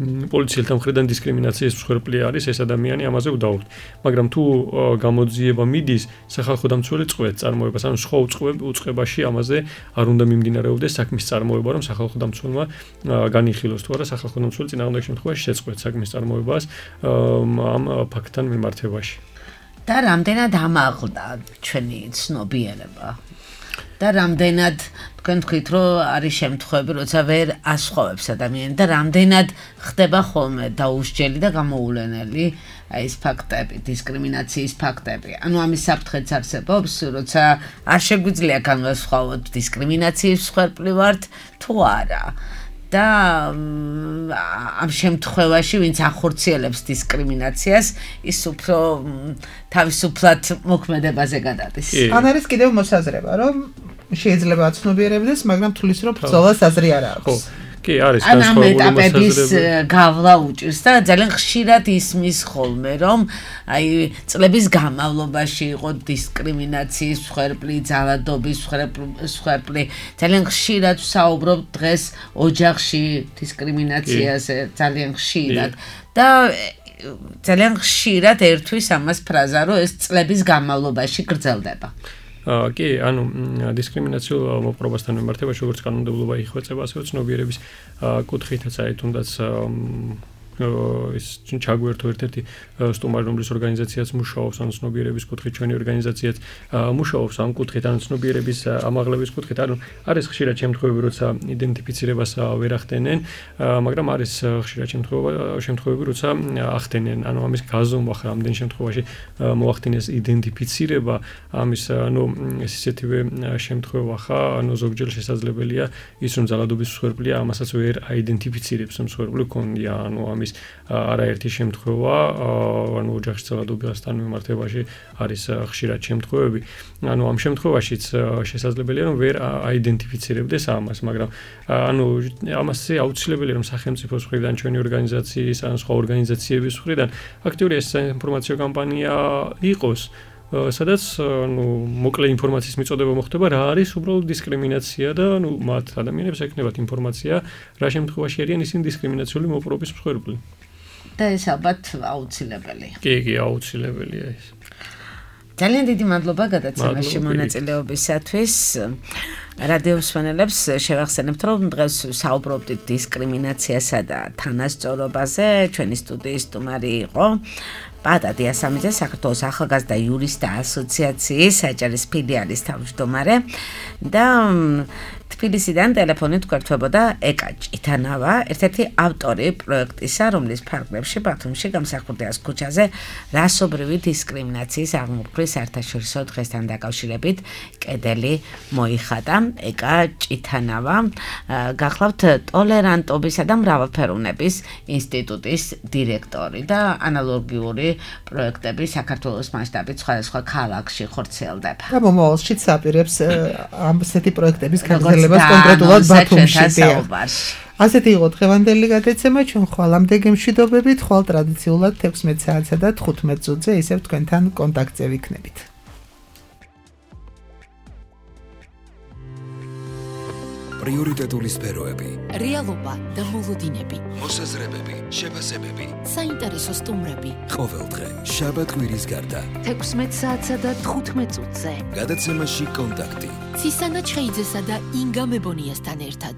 პოლიციელთა მხრიდან დისკრიმინაციის მსხვერპლი არის ეს ადამიანი, ამაზე ვდავრთ. მაგრამ თუ გამოძიება მიდის, სახალხო დამცველი წყვეტს წარმოებას, ანუ სხვა უწყებაში ამაზე არ უნდა მიმდინარეობდეს საქმის წარმოება, რომ სახალხო დამცველმა განიხილოს თუ არა სახალხო დამცველი წინააღმდეგ შემთხვევაში შეწყვეტს საქმის წარმოებას ამ ფაქტთან მიმართებაში. და რამდენად ამაღლდა ჩვენი ცნობიერება? და რამდენად თქვენ თქვით, რომ არის შემთხვევები, როცა ვერ ასხოვებს ადამიანი და რამდენად ხდება ხოლმე დაუსჯელი და გამოულენელი აი ეს ფაქტები, დისკრიმინაციის ფაქტები. ანუ ამის საფრთხეც არსებობს, როცა არ შეგვიძლია განვასხვაოთ დისკრიმინაციის მსხვერპლი ვართ თუ არა. და ამ შემთხვევაში, ვინც ახორციელებს დისკრიმინაციას, ის უფრო თავისუფლად მოქმედებაზე გადადის. ან არის კიდევ მოსაზრება, რომ შეიძლება აცნობიერებდეს, მაგრამ თulis რომ ბრძოლას აზრი არ აქვს. კი, არის განსხვავებული მოსაზრებები. გავლა უჭირს და ძალიან ხშირად ისმის ხოლმე, რომ აი წლების განმავლობაში იყო დისკრიმინაციის მსხვერპლი, ძალადობის მსხვერპლი. ძალიან ხშირად ვსაუბრობ დღეს ოჯახში დისკრიმინაციაზე, ძალიან ხშირად და ძალიან ხშირად ერთვის ამას ფრაზა, რომ ეს წლების განმავლობაში გრძელდება. კი, ანუ დისკრიმინაციულ მოპყრობასთან მიმართებაში როგორც კანონმდებლობა იხვეწება, ასევე ცნობიერების კუთხითაც აი თუნდაც ის ჩაგვერთო ერთ-ერთი სტუმარი, რომლის ორგანიზაციაც მუშაობს ან ცნობიერების კუთხით, ჩვენი ორგანიზაციაც მუშაობს ამ კუთხით, ან ცნობიერების ამაღლების კუთხით. ანუ არის ხშირად შემთხვევები, როცა იდენტიფიცირებას ვერ ახდენენ, მაგრამ არის ხშირად შემთხვევები, როცა ახდენენ. ანუ ამის გაზომვა ხარ ამდენ შემთხვევაში მოახდინეს იდენტიფიცირება, ამის ანუ ეს ისეთივე შემთხვევა ხა, ანუ ზოგჯერ შესაძლებელია ის რომ ძალადობის მსხვერპლია, ამასაც ვერ აიდენტიფიცირებს მსხვერპლი ქონდია, ანუ ამის არაერთი შემთხვევა, ანუ ოჯახის ძალადობასთან მიმართებაში არის ხშირად შემთხვევები. ანუ ამ შემთხვევაშიც შესაძლებელია რომ ვერ აიდენტიფიცირებდეს ამას, მაგრამ ანუ ამასე აუცილებელია რომ სახელმწიფოს მხრიდან, ჩვენი ორგანიზაციის ან სხვა ორგანიზაციების მხრიდან აქტიური ეს ინფორმაციო კამპანია იყოს, სადაც ანუ მოკლე ინფორმაციის მიწოდება მოხდება რა არის უბრალოდ დისკრიმინაცია და ანუ მათ ადამიანებს ეკნებათ ინფორმაცია რა შემთხვევაში არიან ისინი დისკრიმინაციული მოპყრობის მსხვერპლი. და ეს ალბათ აუცილებელია. კი, აუცილებელია ეს. ძალიან დიდი მადლობა გადაცემაში მონაწილეობისათვის. რადიო მსმენელებს შევახსენებთ, რომ დღეს საუბრობდით დისკრიმინაციასა და თანასწორობაზე. ჩვენი სტუდიის სტუმარი იყო პატა დიასამიძე, საქართველოს ახალგაზრდა იურისტთა ასოციაციის საჭერის ფილიალის თავმჯდომარე და თბილისიდან ტელეფონით გვერდებოდა ეკა ჭითანავა, ერთ-ერთი ავტორი პროექტისა, რომლის ფარგლებში ბათუმში გამსახურდიას ქუჩაზე რასობრივი დისკრიმინაციის აღმოფხვრის საერთაშორისო დღესთან დაკავშირებით კედელი მოიხატა. ეკა ჭითანავა გახლავთ ტოლერანტობისა და მრავალფეროვნების ინსტიტუტის დირექტორი და ანალოგიური პროექტები საქართველოს მასშტაბით სხვადასხვა ქალაქში ხორციელდება. და მომავალშიც აპირებს ასეთი პროექტების გაგრძელებას კონკრეტულად ბათუმში. ასეთი იყო დღევანდელი გადაცემა, ჩვენ ხვალამდე გემშვიდობებით, ხვალ ტრადიციულად 16 საათსა და 15 წუთზე ისევ თქვენთან კონტაქტზე ვიქნებით. პრიორიტეტული სფეროები, რეალობა და მოლოდინები, მოსაზრებები, შეფასებები, საინტერესო სტუმრები. ყოველდღე შაბათ-კვირის გარდა 16 საათსა და 15 წუთზე. გადაცემაში კონტაქტი. ცისანა ჩხეიძესა და ინგა მებონიასთან ერთად.